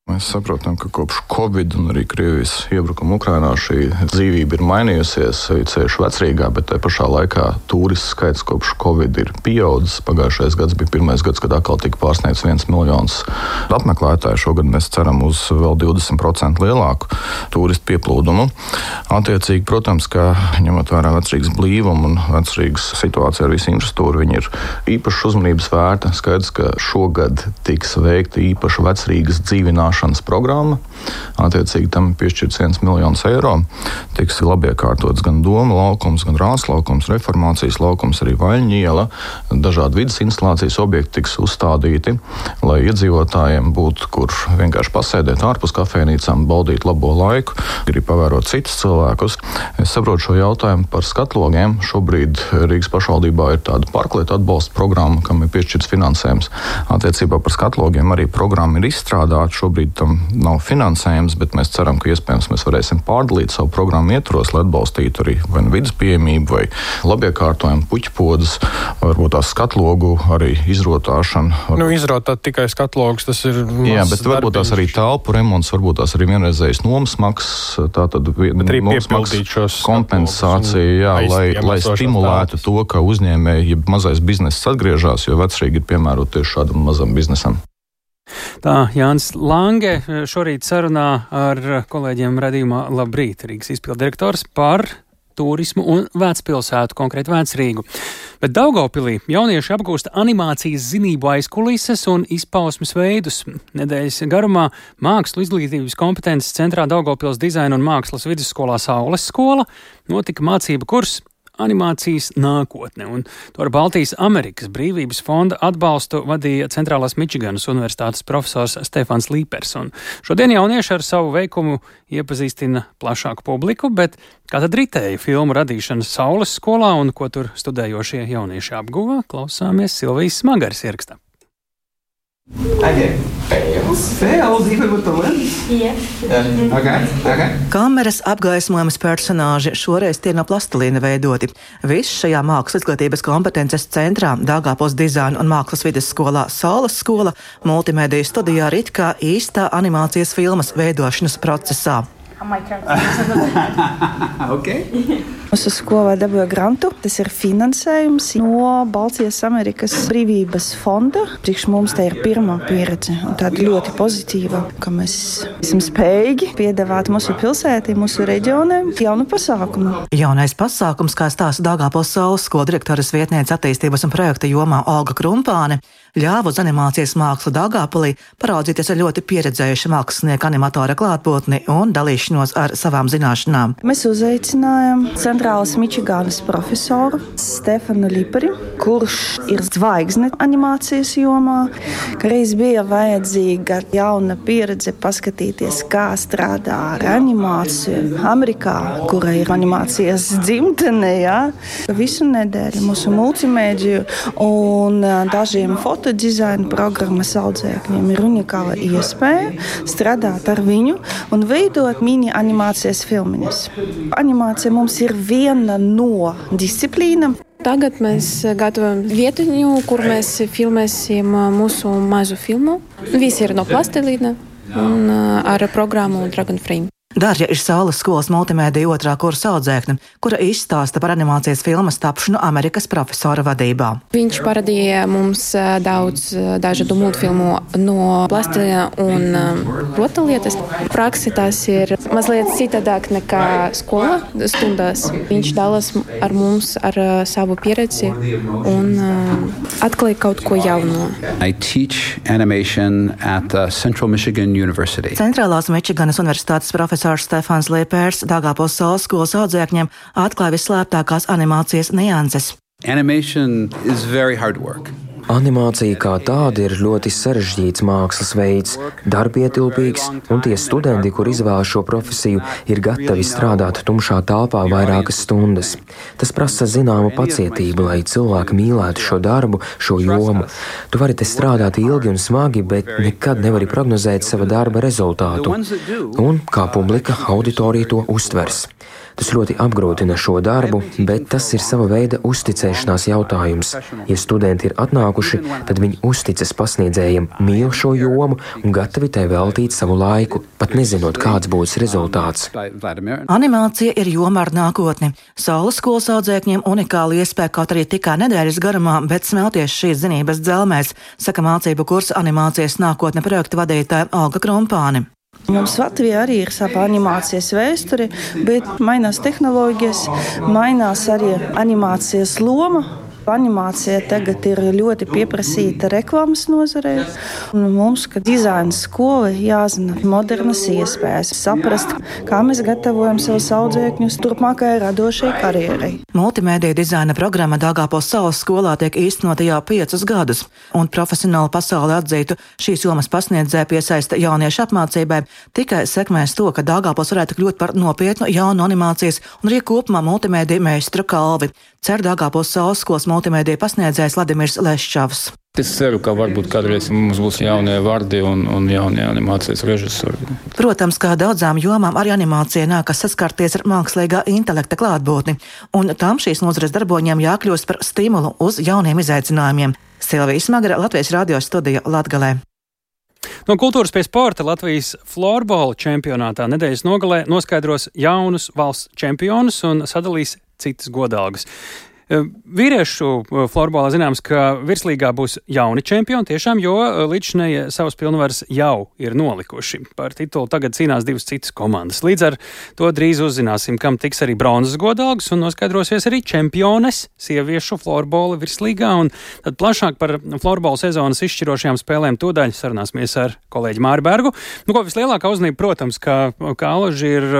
Speaker 15: Mēs saprotam, ka kopš Covid un arī Krievijas iebrukuma Ukrainā šī dzīvība ir mainījusies, ceļš Vecrīgā, bet tajā pašā laikā turistu skaits kopš Covid ir pieaudzis. Pagājušais gads bija pirmais gads, kad atkal tika pārsniegts 1 miljons apmeklētāju. Šogad mēs ceram uz vēl 20% lielāku turistu pieplūdumu. Attiecīgi, protams, ka ņemot vērā Vecrīgas blīvumu un Vecrīgas situāciju ar visu infrastruktūru, viņi ir īpaši uzmanības vērta. Skaidrs, ka šogad tiks veikta īpaša Vecrīgas dzīvināšana programma. Attiecīgi tam piešķirts 1 miljons eiro. Tiks labi iekārtots gan Doma laukums, gan Rāzs laukums, Reformācijas laukums, arī Vaļņu iela. Dažādi vidas instalācijas objekti tiks uzstādīti, lai iedzīvotājiem būtu, kur vienkārši pasēdēt ārpus kafejnīcām, baudīt labo laiku, grib pavērot citus cilvēkus. Es saprotu šo jautājumu par skatlogiem. Šobrīd Rīgas pašvaldībā ir tāda parklietu atbalsta programma, kam ir piešķirts finansējums. Attiecībā par skatlogiem arī programma ir izstrādāta. Šobrīd šobrīd tam nav finansējums, bet mēs ceram, ka iespējams mēs varēsim pārdalīt savu programmu ietvaros, lai atbalstītu arī vai vidas pieejamību, vai labiekārtojumu, puķpodas, varbūt tās skatlogu arī izrotāšanu.
Speaker 16: Izrotāt tikai skatlogus, tas ir
Speaker 15: jā, bet varbūt tās arī telpu remonts, varbūt tās arī vienreizējas nomas maksas, tātad nomas maksas kompensācija, lai stimulētu to, ka uzņēmēji, ja mazais bizness atgriežas, jo vecrīgi ir piemērot tieši šādam mazam biznesam.
Speaker 1: Tā Jānis Lange šorīt sarunā ar kolēģiem radījumā Labrīt, Rīgas izpilddirektors par turismu un vecpilsētu, konkrēti Vecrīgu. Bet Daugavpilī jaunieši apgūst animācijas zinību aizkulises un izpausmes veidus. Nedēļas garumā mākslu izglītības kompetences centrā Daugavpils dizaina un mākslas vidusskolā Saules skola notika mācību kurs animācijas nākotne, un to ar Baltijas Amerikas brīvības fonda atbalstu vadīja Centrālās Mičiganas universitātes profesors Stefans Līpers. Un šodien jaunieši ar savu veikumu iepazīstina plašāku publiku, bet kā tad ritēja filmu radīšana Saules skolā un ko tur studējošie jaunieši apguva, klausāmies Silvijas Smagaras ierakstā.
Speaker 17: Fails even with the lens? Yeah. Okay. Kameras apgaismojumas personāži šoreiz tie no plastilīna veidoti. Viss šajā mākslas izglītības kompetences centrā Daugavpils dizaina un mākslas vidusskolā Saules skola multimediju studijā rit kā īstā animācijas filmas veidošanas procesā.
Speaker 18: Okay. Mūsu skolā dabūja grantu. Tas ir finansējums no Baltijas Amerikas brīvības fonda. Priekš mums tā ir pirmā pieredze un tāda ļoti pozitīva, ka mēs esam spējīgi piedāvāt mūsu pilsētī, mūsu reģionai jaunu pasākumu.
Speaker 17: Jaunais pasākums, kā stāsta Daugavpils Saules skolas direktoras vietniece attīstības un projekta jomā Olga Krumpāne, ļāva uz animācijas mākslu Daugavpilī paraudzīties ar ļoti pieredzējuša mākslinieka animatora klātbūtni un dalīšanos ar savām zināšanām.
Speaker 18: Mēs uzaicinājām Centrālās Mičiganas profesoru Stefanu Līperi, kurš ir zvaigzne animācijas jomā, ka reiz bija vajadzīga jauna pieredze paskatīties, kā strādā ar animāciju Amerikā, kura ir animācijas dzimtene, jā. Visu nedēļu mūsu multimēdiju un dažiem fotodizaina programmas audzēkļiem ir unikāla iespēja strādāt ar viņu un veidot mini animācijas filmiņas. Animācija mums ir viena no disciplīnām.
Speaker 19: Tagad mēs gatavojam vietiņu, kur mēs filmēsim mūsu mazu filmu. Visi ir no plastilīna un ar programmu Dragonframe.
Speaker 17: Darja ir Saules skolas multimēdiju 2. kursa audzēkne, kura izstāsta par animācijas filmas tapšanu Amerikas profesora vadībā.
Speaker 19: Viņš parādīja mums daudz dažādu multfilmu no plastilīna un rotaļlietas. Praksi tas ir mazliet citādāk nekā skola stundās. Viņš dalās ar mums ar savu pieredzi un atklāja kaut ko jaunu.
Speaker 20: I teach animation at Central Michigan University.
Speaker 17: Centrālās Mičiganas universitātes profesors Stefans Līpers Daugavpils Saules skolas audzēkņiem atklāja visslēptākās animācijas nianses.
Speaker 20: Animation is very hard work.
Speaker 21: Animācija kā tāda ir ļoti sarežģīts mākslas veids, darbietilpīgs, un tie studenti, kur izvēlas šo profesiju, ir gatavi strādāt tumšā telpā vairākas stundas. Tas prasa zināmu pacietību, lai cilvēki mīlētu šo darbu, šo jomu. Tu vari te strādāt ilgi un smagi, bet nekad nevari prognozēt sava darba rezultātu. Un kā publika, auditorija to uztvers. Tas ļoti apgrūtina šo darbu, bet tas ir sava veida uzticēšanās jautājums. Ja studenti ir atnākuši, tad viņi uzticas pasniedzējiem, mīl šo jomu un gatavi tai veltīt savu laiku, pat nezinot, kāds būs rezultāts.
Speaker 17: Animācija ir joma ar nākotni. Saules skolas audzēkņiem unikāla iespēja kaut arī tikai nedēļas garumā, bet smelties šīs zinības dzelmēs, saka mācību kursa animācijas nākotne projekta vadītāja Olga Krumpāne.
Speaker 18: Mums Latvijā arī ir sava animācijas vēsture, bet mainās tehnoloģijas, mainās arī animācijas loma. Animācija tagad ir ļoti pieprasīta reklāmas nozarē. Mums, kā dizaina skola, jāzina modernas iespējas, saprast, kā mēs gatavojam savus audzēkņus turpmākajai radošai karjerai.
Speaker 17: Multimēdiju dizaina programma Daugavpils Saules skolā tiek īstenota jau 5 gadus, un profesionāli pasauli atzītu šīs jomas pasniedzēju piesaista jauniešu apmācībai tikai sekmēs to, ka Daugavpils varētu kļūt par nopietnu jaunu animācijas un arī kopumā multimēdiju meistru kalvi. Cer Daugavpils Saules skolas multimēdija pasniedzējs Vladimirs Leščavs.
Speaker 2: Es ceru, ka varbūt kādreiz mums būs jaunie vardi un jaunie animācijas režisori.
Speaker 17: Protams, kā daudzām jomām arī animācija nākas saskarties ar mākslīgā intelekta klātbūtni, un tam šīs nozares darboņiem jākļūst par stimulu uz jauniem izaicinājumiem. Silvija Smagara, Latvijas radio studija Latgalē.
Speaker 1: No kultūras pie sporta Latvijas florbola čempionātā nedēļas nogalē noskaidros jaunus valsts čempionus un sadalīs citas godalgas. Vīriešu florbolā zināms, ka virslīgā būs jauni čempioni tiešām, jo līdzinēji savas pilnvaras jau ir nolikuši. Par titulu tagad cīnās divas citas komandas. Līdz ar to drīz uzzināsim, kam tiks arī bronzas godalgas un noskaidrosies arī čempiones sieviešu florbola virslīgā. Un tad plašāk par florbola sezonas izšķirošajām spēlēm tūdaļ sarunāsimies ar kolēģi Māri Bergu. Vislielākā uzmanība, protams, ka Alaži ir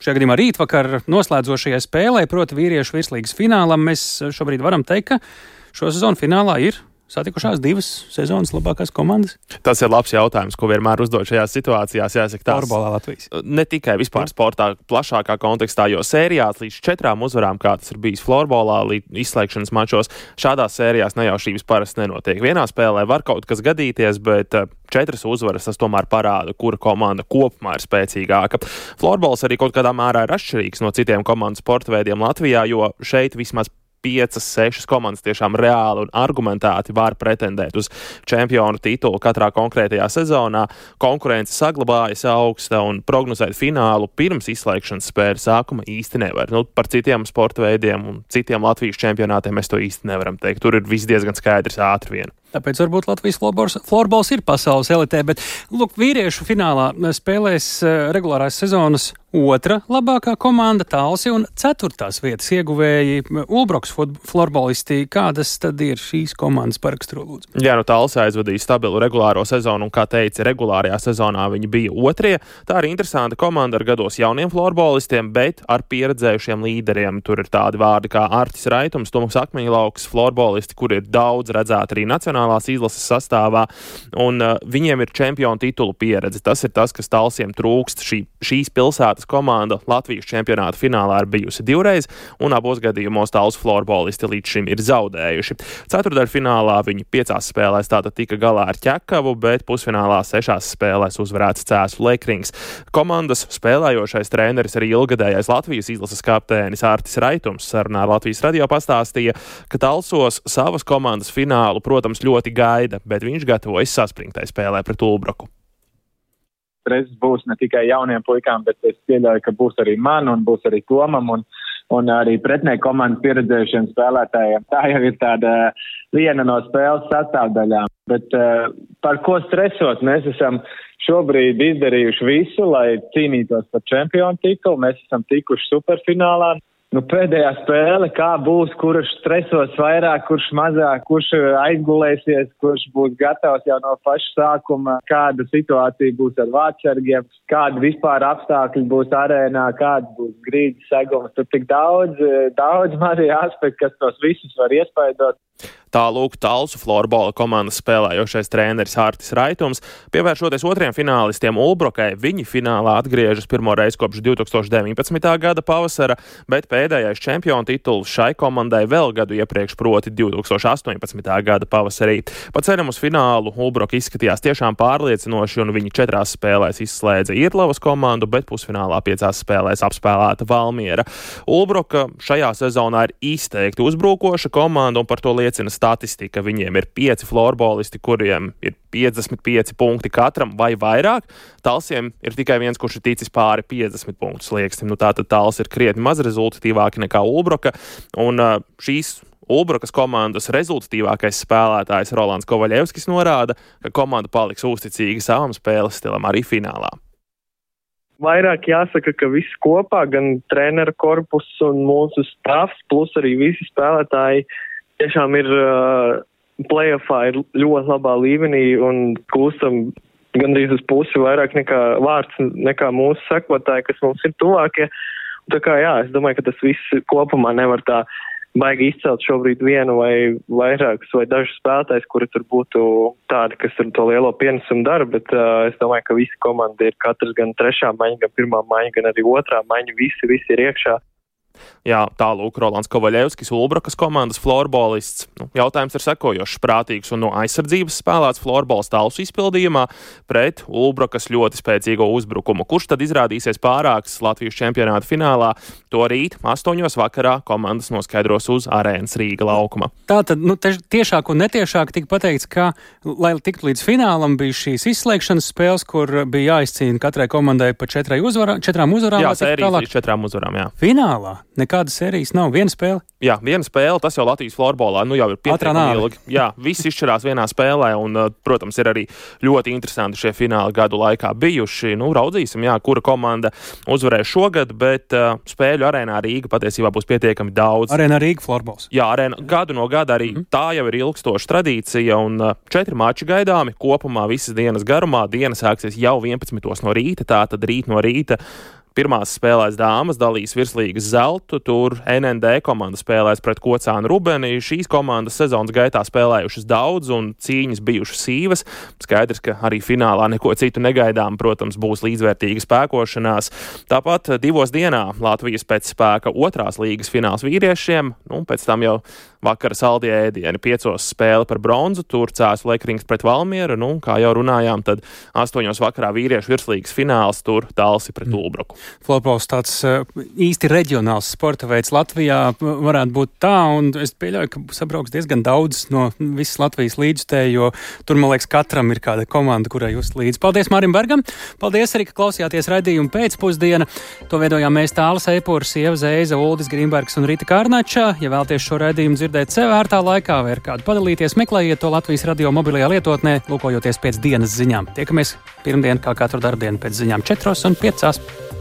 Speaker 1: šajā gadījumā rītvakar noslēdzošajai spēlē, proti vīriešu virslīgas finālam. Mēs šobrīd varam teikt, ka šo sezonu finālā ir satikušās divas sezonas labākās komandas?
Speaker 22: Tas ir labs jautājums, ko vienmēr uzdod šajās situācijās. Jāsaka, tās
Speaker 1: florbolā Latvijas.
Speaker 22: Ne tikai vispār sportā, plašākā kontekstā, jo sērijās līdz 4 uzvarām, kā tas ir bijis florbolā, līdz izslēgšanas mačos, šādās sērijās nejaušības parasti nenotiek. Vienā spēlē var kaut kas gadīties, bet 4 uzvaras tas tomēr parāda, kura komanda kopumā ir spēcīgāka. Florbols arī kaut kādā mērā ir atšķirīgs no citiem komandu sporta veidiem Latvijā, jo šeit vismaz 5, 6 komandas tiešām reāli un argumentēti var pretendēt uz čempionu titulu katrā konkrētajā sezonā. Konkurence saglabājas augsta un prognozēt finālu pirms izslēgšanas spēļu sākuma īsti nevar. Par citiem sporta veidiem un citiem Latvijas čempionātiem mēs to īsti nevaram teikt. Tur ir viss diezgan skaidrs ātri vien.
Speaker 1: Tāpēc varbūt Latvijas florbols ir pasaules elitē, bet vīriešu finālā spēlēs regulārās sezonas 2. labākā komanda Talsi un 4. vietas ieguvēji Ulbroks florbolisti. Kādas tad ir šīs komandas paraksturo, lūdzu?
Speaker 22: Jā, Talsi aizvadīja stabilu regulāro sezonu un, kā teica, regulārajā sezonā viņi bija 2. Tā ir interesanta komanda ar gados jauniem florbolistiem, bet ar pieredzējušiem līderiem. Tur ir tādi vārdi kā Artis Raitums, Toms Akmeņlauks, florbolisti, kur ir daudz redzēti arī nacionālās izlases sastāvā, un viņiem ir čempionu titulu pieredze. Tas ir tas, kas Talsiem trūkst. Šīs pilsētas komanda Latvijas čempionāta finālā ir bijusi 2 reizes, un abos gadījumos Talsu florbolisti līdz šim ir zaudējuši. Ceturtdaļfinālā viņi 5 spēlēs tātad tika galā ar Ķekavu, bet pusfinālā 6 spēlēs uzvarēts Cēsu Lekrings. Komandas spēlējošais treneris arī ilgadējais Latvijas izlases kapteinis Artis Raitums sarunā ar Latvijas radio pastāstīja, ka Talsos savas komandas finālu, protams, ļoti gaida, bet viņš gatavojas saspringtai spēlē pret Ulbroku.
Speaker 23: Reizes būs ne tikai jauniem puikām, bet es pieļauju, ka būs arī man un būs arī Tomam un arī pretnieku komandas pieredzējušiem spēlētājiem. Tā jau ir tāda viena no spēles sastāvdaļām. Bet par ko stresot? Mēs esam šobrīd izdarījuši visu, lai cīnītos par čempionu titulu. Mēs esam tikuši superfinālā. Pēdējā spēle, kā būs, kurš stresos vairāk, kurš mazāk, kurš aizgulēsies, kurš būs gatavs jau no paša sākuma, kāda situācija būs ar vārdsargiem, kādi vispār apstākļi būs arēnā, kāds būs grīdas segums. Tur tik daudz mazie aspekti, kas tos visus var iespaidot.
Speaker 22: Tā lūk Talsu florbola komandas spēlējošais treneris Artis Raitums. Pievēršoties 2. finālistiem Ulbrokai, viņi finālā atgriežas pirmo reizi kopš 2019. gada pavasara, bet pēdējais čempionu tituls šai komandai vēl gadu iepriekš, proti 2018. gada pavasarī. Pa ceļam uz finālu Ulbroka izskatījās tiešām pārliecinoši, un viņi 4 spēlēs izslēdza Irtlavas komandu, bet pusfinālā 5 spēlēs apspēlēta Valmiera. Ulbroka šajā sezonā ir izteikti uzbrukoša komanda, un par to liecina statistika. Viņiem ir 5 florbolisti, kuriem ir 55 punkti katram vai vairāk. Talsiem ir tikai viens, kurš ir ticis pāri 50 punktu slieksnim. Tātad Tals ir krietni maz rezultatīvāki nekā Ulbroka, un šīs Ulbrokas komandas rezultatīvākais spēlētājs Rolands Kovaļevskis norāda, ka komanda paliks uzticīga savam spēles stilam arī finālā.
Speaker 24: Vairāk jāsaka, ka viss kopā, gan treneru korpus un mūsu stāvs, plus arī visi spēlētāji tiešām ir play-offā ir ļoti labā līmenī un kļūstam gandrīz uz pusi vairāk nekā vārds, nekā mūsu sekotāji, kas mums ir tuvākie. Tā kā jā, es domāju, ka tas viss kopumā nevar tā baigi izcelt šobrīd vienu vai vairākus vai dažus spēlētājus, kuri tur būtu tādi, kas tur to lielo pienesumu dara, bet es domāju, ka visi komanda ir katrs gan 3. maiņa, gan 1. maiņa, gan arī 2. maiņa, visi ir iekšā.
Speaker 22: Jā, tālūk Rolands Kovaļevskis, Ulbrukas komandas florbolists. Jautājums ir sekojošs: prātīgs un no aizsardzības spēlēts florbols Talsu izpildījumā pret Ulbrukas ļoti spēcīgo uzbrukumu. Kurš tad izrādīsies pārāks Latvijas čempionāta finālā? To rīt 8 vakarā komandas noskaidros uz Arēnas Rīga laukuma.
Speaker 1: Tātad, tiešāk un netiešāk tika pateikts, ka, lai tiktu līdz finālam, bija šīs izslēgšanas spēles, kur bija jāizcīna katrai komandai pa 4 uzvarām.
Speaker 22: Jā, sērijas līdz 4 uzvarām, jā.
Speaker 1: Finālā nekādas sērijas nav, viena spēle?
Speaker 22: Jā, viena spēle, tas jau Latvijas florbolā jau ir pietiekami ilgi. Jā, viss izšķirās vienā spēlē un, protams, ir arī ļoti interesanti šie fināli gadu laikā bijuši. Raudzīsim, jā, kura komanda uzvarēs šogad, bet spēļu Arēnā Rīga patiesībā būs pietiekami daudz.
Speaker 1: Arēnā Rīga florbols.
Speaker 22: Jā, gadu no gada arī tā jau ir ilgstoša tradīcija un 4 mači gaidāmi kopumā visas dienas garumā. Diena sāksies jau 11 no rīta, tātad rīt no rīta. Pirmās spēlēs dāmas dalīs virslīgas zeltu, tur NND komanda spēlēs pret Kocānu Rubeni. Šīs komandas sezonas gaitā spēlējušas daudz un cīņas bijušas sīvas. Skaidrs, ka arī finālā neko citu negaidām, protams, būs līdzvērtīga spēkošanās. Tāpat 2 dienā Latvijas pēc spēka 2. līgas fināls vīriešiem, pēc tam jau vakara saldie ēdieni, 5 spēle par bronzu, tur Cēsu Lekrings pret Valmieru, kā jau runājām, tad 8 vakarā vīriešu virslīgas fināls, tur Talsi pret Ulbruku.
Speaker 1: Florbols tāds īsti reģionāls sporta veids Latvijā varētu būt tā, un es pieļauju, ka sabrauks diezgan daudz no visas Latvijas līdzstēju, jo tur, man liekas, katram ir kāda komanda, kurai jūs līdz. Paldies Mārim Bergam, paldies arī, ka klausījāties raidījumu pēcpusdiena. To veidojām mēs Tāles Eipurs, Ieva Zeiza, Uldis Grīmbergs un Rita Kārnača. Ja vēlties šo raidījumu dzirdēt sev ērtā laikā vai ar kādu padalīties, meklējiet to Latvijas radio mobilajā lietotnē, lūkojoties pēc dienas ziņām. Tiekamies pirmdien, kā katru darbdienu pēc ziņām 4 un 5.